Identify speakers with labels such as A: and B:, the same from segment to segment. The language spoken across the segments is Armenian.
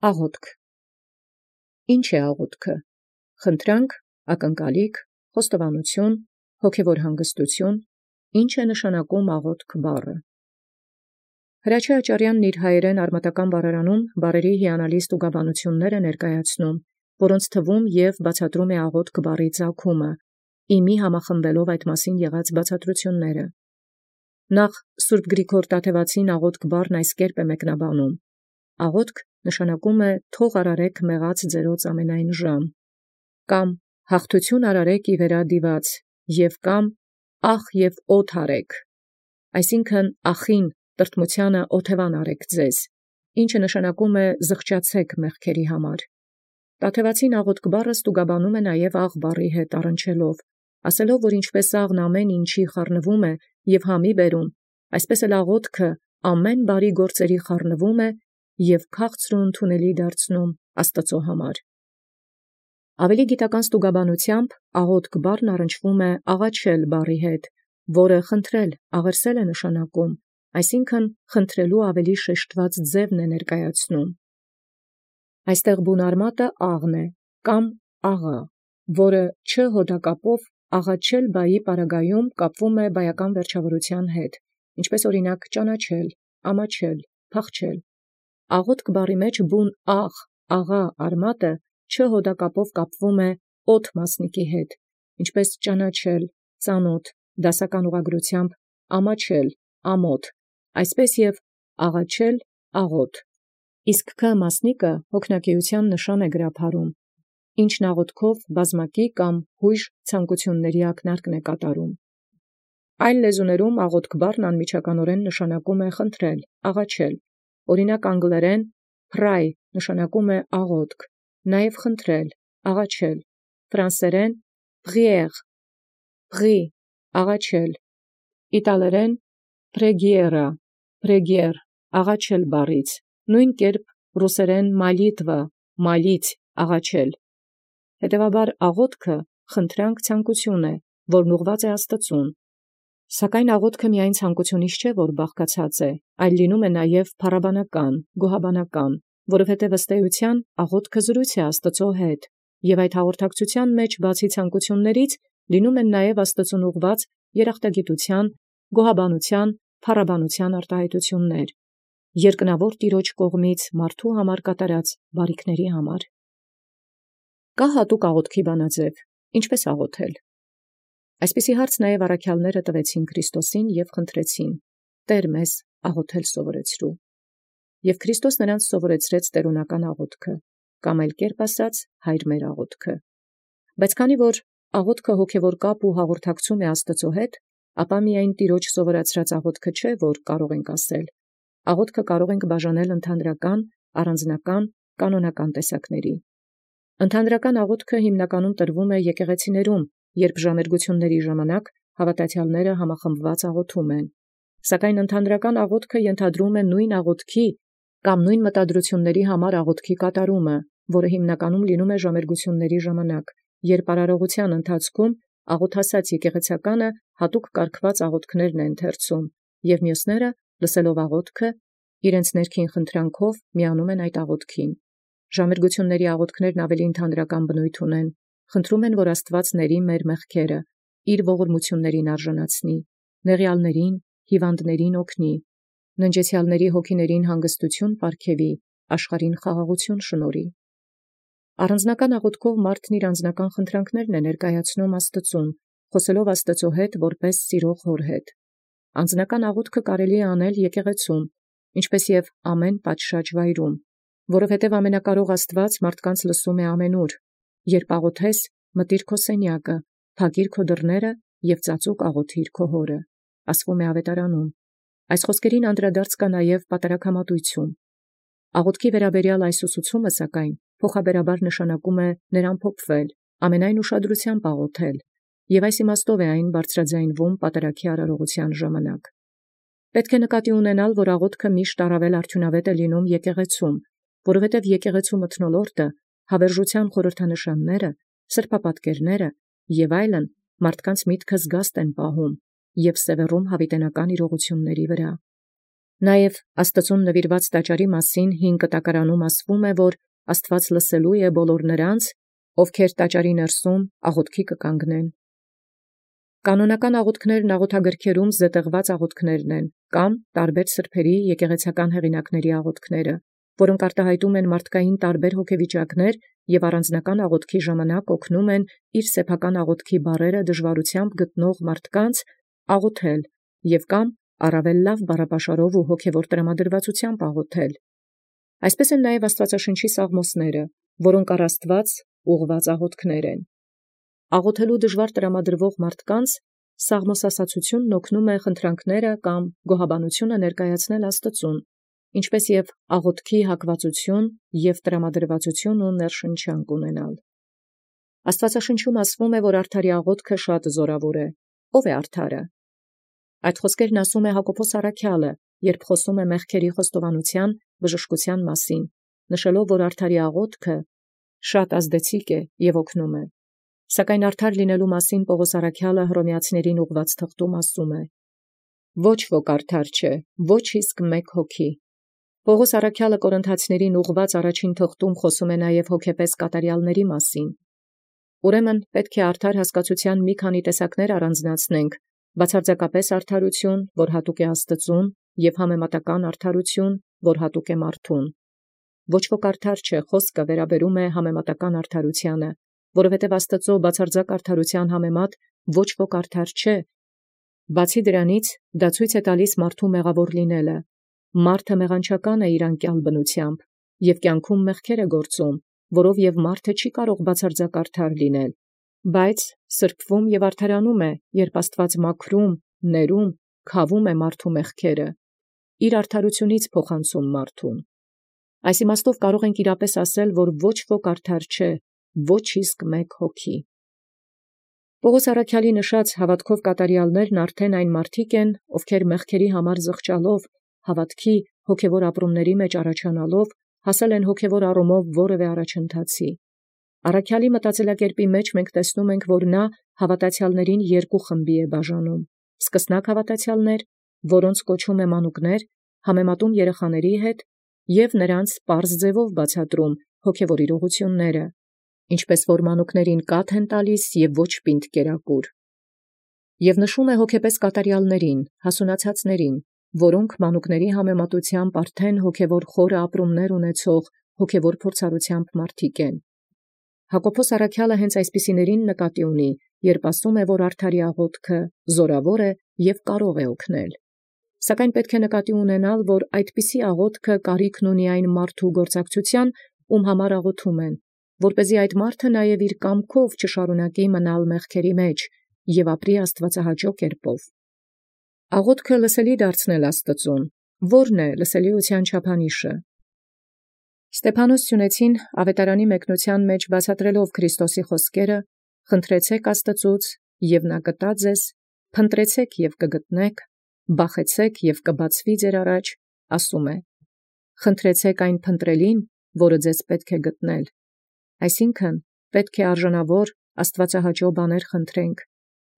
A: Աղոթք։ Ինչ է աղոթքը։ Խնդրանք, ակնկալիք, խոստովանություն, հոգևոր հանգստություն։ Ինչ է նշանակում աղոթք բառը։ Հրաչյա Աճարյանն իր հայերեն արմատական բառարանում բառերի հիանալի ստուգաբանությունները ներկայացնում, որոնց թվում և բացատրում է աղոթք բառի ծագումը, իմի համախմբելով այդ մասին եղած բացատրությունները։ Նախ Սուրբ Գրիգոր Տաթևացին աղոթք բառն այս կերպ է մեկնաբանում. աղոթք նշանակում է թող արարեք մեղած ձերոց ամենայն ժամ, կամ հաղթություն արարեք ի վերադիված, և կամ ախ և օդ արեք, այսինքն ախին տրտմութեանը օթևան արեք ձեզ, ինչը նշանակում է զղջացեք մեղքերի համար։ Տաթևացին աղոթք բառը ստուգաբանում է նաև աղ բառի հետ առնչելով, ասելով, որ ինչպես աղն ամեն ինչի խառնվում է և համի բերում, այսպես էլ աղոթքը ամեն բարի գործերի խառնվում է և քաղցր ու ընդունելի դարձնում Աստուծոյ համար։ Ավելի գիտական ստուգաբանությամբ աղոթք բառն առնչվում է աղաչել բառի հետ, որը խնդրել, աղերսել է նշանակում, այսինքն խնդրելու ավելի շեշտված ձևն է ներկայացնում։ Այստեղ բուն արմատը աղն է, կամ աղա, որը չ հոդակապով աղաչել բայի պարագայում կապվում է բայական վերջավորության հետ, ինչպես օրինակ ճանաչել, ամաչել, փախչել։ Աղոթք բառի մեջ բուն աղ, աղա արմատը չ հոդակապով կապվում է օդ մասնիկի հետ, ինչպես ճանաչել, ծանոթ, դասական ուղղագրությամբ ամաչել, ամոթ, այսպես և աղաչել, աղոթ։ Իսկ Ք մասնիկը հոգնակեության նշան է գրափարում, ինչն աղոթքով բազմակի կամ հույժ ցանկությունների ակնարկն է կատարում։ Այլ լեզուներում աղոթք բառն անմիջականորեն նշանակում է խնդրել, աղաչել, օրինակ անգլերեն pray նշանակում է աղոթք, նաև խնդրել, աղաչել, ֆրանսերեն prière, pri աղաչել, իտալերեն preghiera, preghier աղաչել բառից, նույն կերպ ռուսերեն molitva, молить աղաչել։ Հետևաբար աղոթքը խնդրանք ցանկություն է, որն ուղղված է Աստծուն։ Սակայն աղոթքը միայն ցանկությունից չէ, որ բաղկացած է, այլ լինում է նաև փառաբանական, գոհաբանական, որովհետև ըստ էության աղոթքը զրույց է Աստծո հետ, և այդ հաղորդակցության մեջ բացի ցանկություններից լինում են նաև Աստծուն ուղղված երախտագիտության, գոհաբանության, փառաբանության արտահայտություններ, երկնավոր Տիրոջ կողմից մարդու համար կատարած բարիքների համար։ Կա հատուկ աղոթքի բանաձև, ինչպես աղոթել։ Այսպիսի հարց նաև առաքյալները տվեցին Քրիստոսին և խնդրեցին. Տեր մեզ աղոթել սովորեցրու։ Եւ Քրիստոս նրանց սովորեցրեց տերունական աղոթքը, կամ այլ կերպ ասած, հայր մեր աղոթքը։ Բայց քանի որ աղոթքը հոգևոր կապ ու հաղորդակցում է Աստծո հետ, ապա միայն Տիրոջ սովորացրած աղոթքը չէ, որ կարող ենք ասել։ Աղոթքը կարող ենք բաժանել ընդհանրական, առանձնական, կանոնական տեսակների։ Ընդհանրական աղոթքը հիմնականում տրվում է եկեղեցիներում, երբ ժամերգությունների ժամանակ հավատացյալները համախմբված աղոթում են։ Սակայն ընդհանրական աղոթքը ենթադրում է նույն աղոթքի կամ նույն մտադրությունների համար աղոթքի կատարումը, որը հիմնականում լինում է ժամերգությունների ժամանակ, երբ արարողության ընթացքում աղոթասաց եկեղեցականը հատուկ կարգված աղոթքներն է ընթերցում, և մյուսները, լսելով աղոթքը, իրենց ներքին խնդրանքով միանում են այդ աղոթքին։ Ժամերգությունների աղոթքներն ավելի ընդհանրական բնույթ ունեն, խնդրում են, որ Աստված ների մեր մեղքերը, իր ողորմություններին արժանացնի, նեղյալներին, հիվանդներին օգնի, ննջեցյալների հոգիներին հանգստություն պարգևի, աշխարհին խաղաղություն շնորհի։ Առանձնական աղոթքով մարդն իր անձնական խնդրանքներն է ներկայացնում Աստծուն, խոսելով Աստծո հետ որպես սիրող հոր հետ։ Անձնական աղոթքը կարելի է անել եկեղեցում, ինչպես և ամեն պատշաճ վայրում, որովհետև ամենակարող Աստված մարդկանց լսում է ամենուր։ Երբ աղոթես, մտիր քո սենյակը, փակիր քո դռները և ծածուկ աղոթիր քո հորը, ասվում է Ավետարանում։ Այս խոսքերին անդրադարձ կա նաև պատարագամատույցում։ Աղոթքի վերաբերյալ այս ուսուցումը, սակայն, փոխաբերաբար նշանակում է նրան փոխվել, ամենայն ուշադրությամբ աղոթել, և այս իմաստով է այն բարձրաձայնվում պատարագի արարողության ժամանակ։ Պետք է նկատի ունենալ, որ աղոթքը միշտ առավել արդյունավետ է լինում եկեղեցում, որովհետև եկեղեցու մթնոլորտը, հավերժության խորհրդանշանները, սրբապատկերները և այլն մարդկանց միտքը զգաստ են պահում և սևեռում հավիտենական իրողությունների վրա։ Նաև Աստծուն նվիրված տաճարի մասին 5 կտակարանում ասվում է, որ Աստված լսելու է բոլոր նրանց, ովքեր տաճարի ներսում աղոթքի կկանգնեն։ Կանոնական աղոթքներն աղոթագրքերում զետեղված աղոթքներն են, կամ տարբեր սրբերի եկեղեցական հեղինակների աղոթքները, որոնք արտահայտում են մարդկային տարբեր հոգեվիճակներ և առանձնական աղոթքի ժամանակ օգնում են իր սեփական աղոթքի բառերը դժվարությամբ գտնող մարդկանց աղոթել և կամ առավել լավ բառապաշարով ու հոգևոր տրամադրվածությամբ աղոթել։ Այսպես են նաև Աստվածաշնչի սաղմոսները, որոնք առ Աստված ուղղված աղոթքներ են։ Աղոթելու դժվար տրամադրվող մարդկանց սաղմոսասացությունն օգնում է խնդրանքները կամ գոհաբանությունը ներկայացնել Աստծուն, ինչպես և աղոթքի հակվածություն և տրամադրվածություն ու ներշնչանք ունենալ։ Աստվածաշնչում ասվում է, որ արդարի աղոթքը շատ զորավոր է։ Ո՞վ է արդարը։ Այդ խոսքերն ասում է Հակոբոս առաքյալը, երբ խոսում է մեղքերի խոստովանության բժշկության մասին, նշելով, որ արդարի աղոթքը շատ ազդեցիկ է և օգնում է։ Սակայն արդար լինելու մասին Պողոս առաքյալը Հռոմեացիներին ուղղված թղթում ասում է. «Ոչ ոք արդար չէ, ոչ իսկ մեկ հոգի»։ Պողոս առաքյալը Կորինթացիներին ուղղված առաջին թղթում խոսում է նաև հոգեպես կատարյալների մասին։ Ուրեմն պետք է արդար հասկացության մի քանի տեսակներ առանձնացնենք. բացարձակապես արդարություն, որ հատուկ է Աստծուն, և համեմատական արդարություն, որ հատուկ է մարդուն։ Ոչ ոք արդար չէ խոսքը վերաբերում է համեմատական արդարությանը, որովհետև Աստծո բացարձակ արդարության համեմատ ոչ ոք արդար չէ։ Բացի դրանից, դա ցույց է տալիս մարդու մեղավոր լինելը։ Մարդը մեղանչական է իր անկյալ բնությամբ և կյանքում մեղքեր է գործում, որով և մարդը չի կարող բացարձակ արդար լինել, բայց սրբվում և արդարանում է, երբ Աստված մաքրում, ներում, քավում է մարդու մեղքերը, իր արդարությունից փոխանցում մարդուն։ Այս իմաստով կարող ենք իրապես ասել, որ ոչ ոք արդար չէ, ոչ իսկ մեկ հոգի։ Պողոս առաքյալի նշած հավատքով կատարյալներն արդեն այն մարդիկ են, ովքեր մեղքերի համար զղջալով, հավատքի հոգևոր ապրումների մեջ առաջանալով, հասել են հոգևոր առումով որևէ առաջընթացի։ Առաքյալի մտածելակերպի մեջ մենք տեսնում ենք, որ նա հավատացյալներին երկու խմբի է բաժանում. սկսնակ հավատացյալներ, որոնց կոչում է մանուկներ, համեմատում երեխաների հետ և նրանց պարզ ձևով բացատրում հոգևոր իրողությունները, ինչպես որ մանուկներին կաթ են տալիս և ոչ պինդ կերակուր։ Եվ նշում է հոգեպես կատարյալներին, հասունացածներին, որոնք մանուկների համեմատությամբ արդեն հոգևոր խորը ապրումներ ունեցող հոգևոր փորձառությամբ մարդիկ են։ Հակոբոս առաքյալը հենց այսպիսիներին նկատի ունի, երբ ասում է, որ արդարի աղոթքը զորավոր է և կարող է օգնել։ Սակայն պետք է նկատի ունենալ, որ այդպիսի աղոթքը կարիքն ունի այն մարդու գործակցության, ում համար աղոթում են, որպեսզի այդ մարդը նաև իր կամքով չշարունակի մնալ մեղքերի մեջ և ապրի աստվածահաճո կերպով։ Աղոթքը լսելի դարձնել Աստծուն, ո՞րն է լսելիության չափանիշը։ Ստեփանոս Սյունեցին ավետարանի մեկնության մեջ բացատրելով Քրիստոսի խոսքերը. «Խնդրեցեք Աստծուց, և նա կտա ձեզ, փնտրեցեք և կգտնեք, բախեցեք և կբացվի ձեր առաջ», ասում է. «Խնդրեցեք այն փնտրելին, որը ձեզ պետք է գտնել»։ Այսինքն, պետք է արժանավոր աստվածահաճո բաներ խնդրենք,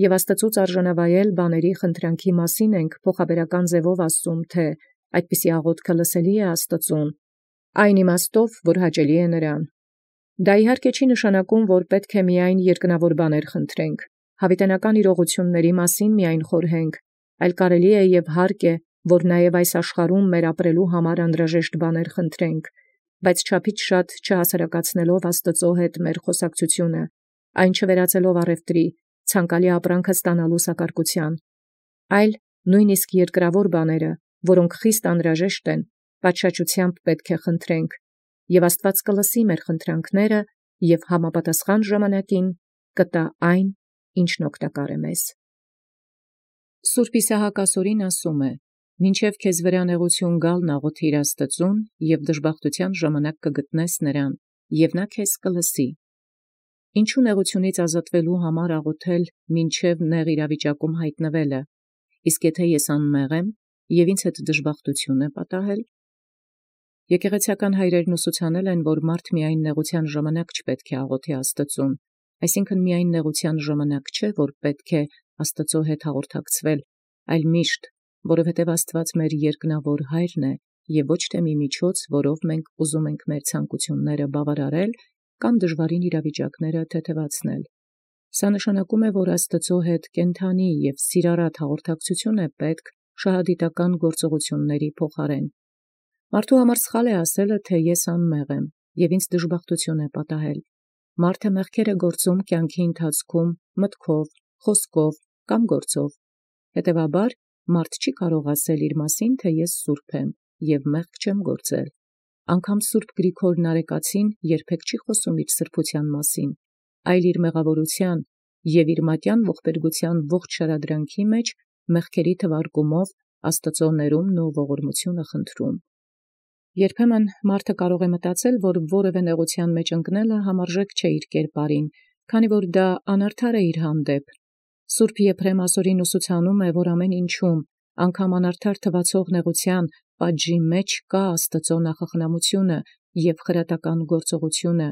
A: և Աստծուց արժանավայել բաների խնդրանքի մասին ենք փոխաբերական ձևով ասում, թե այդպիսի աղոթքը լսելի է Աստծուն, այն իմաստով, որ հաճելի է նրան։ Դա իհարկե չի նշանակում, որ պետք է միայն երկնավոր բաներ խնդրենք, հավիտենական իրողությունների մասին միայն խորհենք, այլ կարելի է և հարկ է, որ նաև այս աշխարհում մեր ապրելու համար անհրաժեշտ բաներ խնդրենք, բայց չափից շատ չհասարակացնելով Աստծո հետ մեր խոսակցությունը, այն չվերածելով առևտրի, ցանկալի ապրանքը ստանալու սակարկության, այլ նույնիսկ երկրավոր բաները, որոնք խիստ անհրաժեշտ են, պատշաճությամբ պետք է խնդրենք, և Աստված կլսի մեր խնդրանքները և համապատասխան ժամանակին կտա այն, ինչն օգտակար է մեզ։ Սուրբ Իսահակ ասորին ասում է. «Մինչև քեզ վրա նեղություն գալն աղոթիր Աստծուն, և դժբախտության ժամանակ կգտնես նրան, և նա քեզ կլսի»։ Ինչու նեղությունից ազատվելու համար աղոթել մինչև նեղ իրավիճակում հայտնվելը, իսկ եթե ես անմեղ եմ, և ինձ հետ դժբախտություն է պատահել։ Եկեղեցական հայրերն ուսուցանել են, որ մարդ միայն նեղության ժամանակ չպետք է աղոթի Աստծուն, այսինքն միայն նեղության ժամանակ չէ, որ պետք է Աստծո հետ հաղորդակցվել, այլ միշտ, որովհետև Աստուած մեր երկնավոր Հայրն է, և ոչ թե մի միջոց, որով մենք ուզում ենք մեր ցանկութիւնս բավարարել կամ դժվարին իրավիճակս թեթևացնել։ Սա նշանակում է, որ Աստուծոյ հետ կենթանի և սիրառատ հաղորդակցութիւն է պետք շահադիտական գործողությունների փոխարեն։ Մարդու համար սխալ է ասելը, թե ես անմեղ եմ, և ինձ դժբախտություն է պատահել։ Մարդը մեղքեր է գործում կյանքի ընթացքում մտքով, խոսքով կամ գործով։ Հետևաբար, մարդ չի կարող ասել իր մասին, թե ես սուրբ եմ և մեղք չեմ գործել։ Անգամ Սուրբ Գրիգոր Նարեկացին երբեք չի խոսում իր սրբութեան մասին, այլ իր մեղավորութեան և իր մատյան ողբերգութեան ողջ շարադրանքի մեջ մեղքերի թվարկումով Աստուծոյ ներումն ու ողորմութիւնը խնդրում։ Երբեմն մարդը կարող է մտածել, որ որևէ նեղութեան մեջ ընկնելը համարժեք չէ իր կերպարին, քանի որ դա անարդար է իր հանդեպ։ Սուրբ Եփրեմ ասորին ուսուցանում է, որ ամեն ինչում, անգամ անարդար թվացող նեղութեան պատժի մեջ կա Աստուծոյ նախախնամութիւնը և խրատական գործողութիւնը։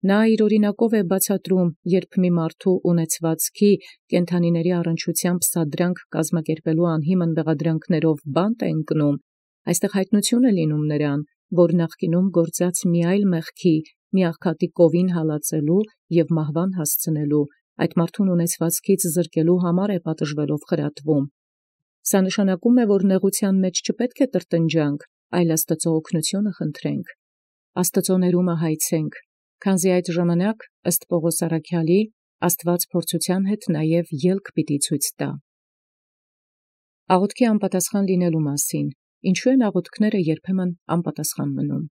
A: Նա իր օրինակով է բացատրում, երբ մի մարդու ունեցվածքի կենդանիների առնչությամբ սադրանք կազմակերպելու անհիմն բեղադրանքներով բանտ է ընկնում, այստեղ հայտնություն է լինում նրան, որ նախկինում գործած մի այլ մեղքի, մի աղքատի կովին հալածելու և մահվան հասցնելու, այդ մարդուն ունեցվածքից զրկելու համար է պատժվելով խրատվում։ Սա նշանակում է, որ նեղութեան մեջ չպետք է տրտնջանք, այլ Աստուծոյ օգնութիւնը խնդրենք, Աստուծոյ ներումը հայցենք, քանզի այդ ժամանակ, ըստ Պաւղոս առաքյալի, Աստուած փորձութեան հետ նաև ելք պիտի ցույց տա։ Աղոթքի անպատասխան լինելու մասին, ինչու են աղոթքները երբեմն անպատասխան մնում։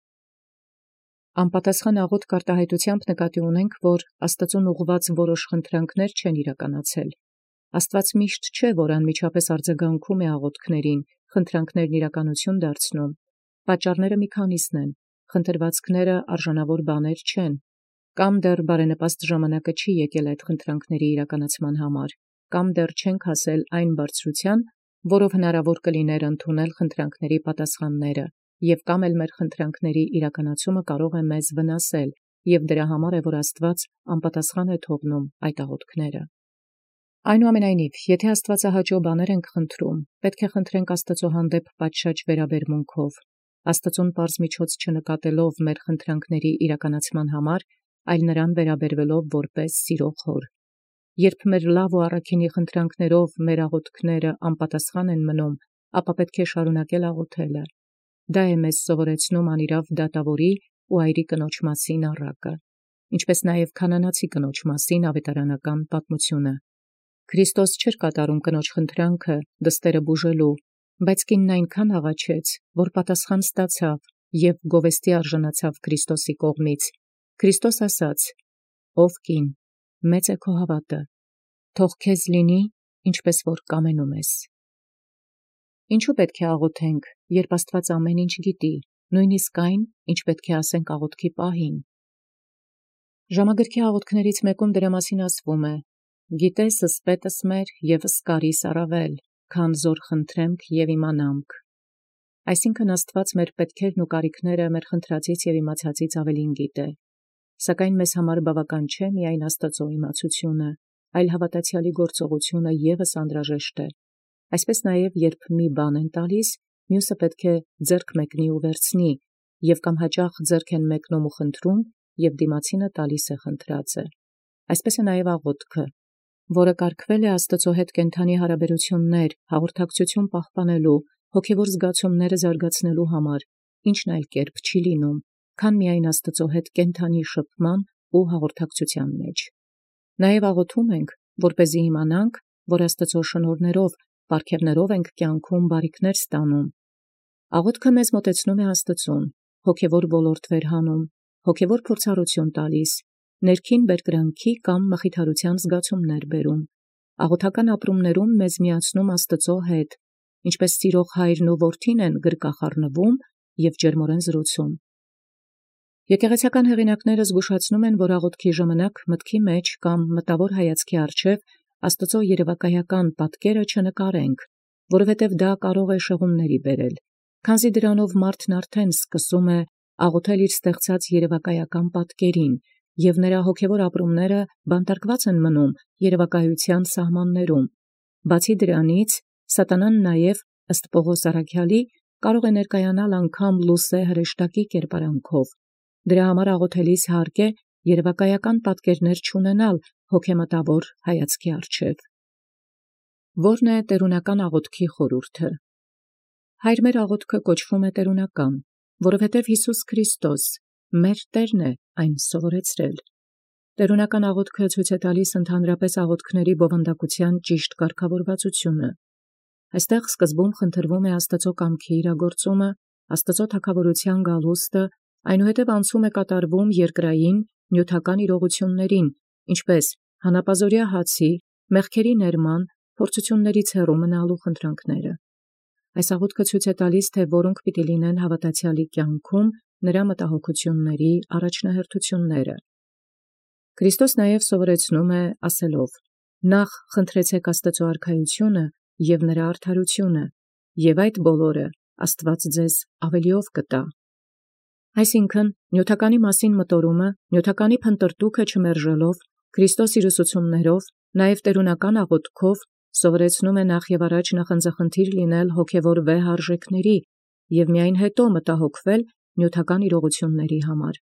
A: Անպատասխան աղոթք արտահայտութեամբ նկատի ունենք, որ Աստուծուն ուղղված որոշ խնդրանքներ չեն իրականացել։ Աստուած միշտ չէ, որ անմիջապես արձագանքում է աղոթքներին, խնդրանքներն իրականություն դարձնում։ Պատճառները մի քանիսն են, խնդրվածքները արժանավոր բաներ չեն, կամ դեռ բարենպաստ ժամանակը չի եկել այդ խնդրանքների իրականացման համար, կամ դեռ չենք հասել այն բարձրութեան, որով հնարավոր կլիներ ընդունել խնդրանքների պատասխանները, և կամ էլ մեր խնդրանքների իրականացումը կարող է մեզ վնասել, և դրա համար է, որ Աստուած անպատասխան է թողնում այդ աղոթքները։ Այնուամենայնիվ, եթե աստուածահաճո բաներ ենք խնդրում, պետք է խնդրենք Աստուծոյ հանդեպ պատշաճ վերաբերմունքով, Աստուծուն պարզ միջոց չնկատելով մեր խնդրանքների իրականացման համար, այլ նրան վերաբերվելով որպես սիրող հոր։ Երբ մեր լավ ու առաքինի խնդրանքներով մեր աղոթքները անպատասխան են մնում, ապա պետք է շարունակել աղոթելը։ Դա է մեզ սովորեցնում անիրաւ դատավորի ու այրի կնոջ մասին առակը, ինչպես նաև քանանացի կնոջ մասին ավետարանական պատմությունը։ Քրիստոս չէր կատարում կնոջ խնդրանքը դստերը բուժելու, բայց կինն այնքան աղաչեց, որ պատասխան ստացավ և գովեստի արժանացավ Քրիստոսի կողմից։ Քրիստոս ասաց. «Ով կին, մեծ է քո հավատը, թող քեզ լինի, ինչպես որ կամենում ես»։ Ինչու պետք է աղոթենք, երբ Աստված ամեն ինչ գիտի, նույնիսկ այն, ինչ պետք է ասենք աղոթքի պահին։ Ժամագրքի աղոթքներից մեկում դրա մասին ասվում է. «Գիտես ըսպետս մեր և ըսկարիս առավել, քան զոր խնդրեմք և իմանամք»։ Այսինքն Աստված մեր պետքերն ու կարիքները մեր խնդրածից և իմացածից ավելին գիտե։ Սակայն մեզ համար բավական չէ միայն Աստծոյ իմացությունը, այլ հավատացյալի գործողությունը ևս անհրաժեշտ է։ Այսպես նաև, երբ մի բան են տալիս, մյուսը պետք է ձեռք մեկնի ու վերցնի, և կամ հաճախ ձեռք են մեկնում ու խնդրում, և դիմացինը տալիս է խնդրածը։ Այսպես է նաև աղոթքը, որը կարգվել է Աստծո հետ կենթանի հարաբերություններ, հաղորդակցություն պահպանելու, հոգևոր զգացումները զարգացնելու համար, ինչն այլ կերպ չի լինում, քան միայն Աստծո հետ կենթանի շփման ու հաղորդակցության մեջ։ Նաև աղոթում ենք, որպեսզի իմանանք, որ Աստծո շնորհներով, պարգևներով ենք կյանքում բարիքներ ստանում։ Աղոթքը մեզ մոտեցնում է Աստծուն, հոգևոր ոլորտ վերհանում, հոգևոր փորձառություն տալիս, ներքին բերկրանքի կամ մխիթարության զգացումներ բերում, աղոթական ապրումներում մեզ միացնում Աստծո հետ, ինչպես սիրող հայրն ու որդին են գրկախառնվում և ջերմորեն զրուցում։ Եկեղեցական հեղինակները զգուշացնում են, որ աղոթքի ժամանակ մտքի մեջ կամ մտավոր հայացքի առջև Աստծո երևակայական պատկերը չնկարենք, որովհետև դա կարող է շեղումների բերել, քանզի դրանով մարդն արդեն սկսում է աղոթել իր ստեղծած երևակայական պատկերին, և նրա հոգևոր ապրումները բանտարկված են մնում երևակայության սահմաններում։ Բացի դրանից, սատանան նաև ըստ Պողոս առաքյալի, կարող է ներկայանալ անգամ լուսե հրեշտակի կերպարանքով։ Դրա համար աղոթելիս հարկ է երևակայական պատկերներ չունենալ հոգեմտավոր հայացքի առջև։ Որն է տերունական աղոթքի խորհուրդը։ Հայր մեր աղոթքը կոչվում է տերունական, որովհետև Յիսուս Քրիստոս մեր Տերն է այն սովորեցրել։ Տերունական աղոթքը ցույց է տալիս ընդհանրապես աղոթքների բովանդակության ճիշտ կարգավորվածությունը։ Այստեղ սկզբում խնդրվում է Աստծո կամքի իրագործումը, Աստծո թագավորության գալուստը, այնուհետև անցում է կատարվում երկրային նյութական իրողություններին, ինչպես հանապազօրյա հացի, մեղքերի ներման, փորձություններից հեռու մնալու խնդրանքները։ Այս աղոթքը ցույց է տալիս, թե որոնք պիտի լինեն հավատացյալի կյանքում նրա մտահոգությունների առաջնահերթությունները։ Քրիստոս նաև սովորեցնում է ասելով. «Նախ խնդրեցեք Աստծո արքայությունը և նրա արդարությունը, և այդ բոլորը Աստված ձեզ ավելիով կտա»։ Այսինքն, նյութականի մասին մտորումը, նյութականի փնտրտուքը չմերժելով, Քրիստոս իր ուսուցումներով, նաև տերունական աղոթքով սովորեցնում է նախ և առաջ նախանձախնդիր լինել հոգևոր վեհ արժեքների և միայն հետո մտահոգվել նյութական իրողությունների համար։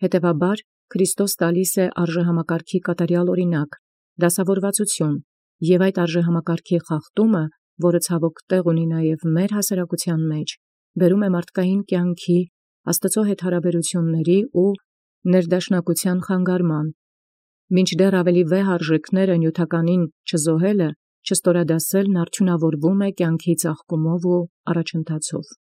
A: Հետևաբար, Քրիստոս տալիս է արժեհամակարգի կատարյալ օրինակ, դասավորվածություն, և այդ արժեհամակարգի խախտումը, որը ցավոք տեղ ունի նաև մեր հասարակության մեջ, բերում է մարդկային կյանքի, Աստծո հետ հարաբերությունների ու ներդաշնակության խանգարման, մինչդեռ ավելի վեհ արժեքները նյութականին չզոհելը, չստորադասելն արդյունավորվում է կյանքի ծաղկումով ու առաջընթացով։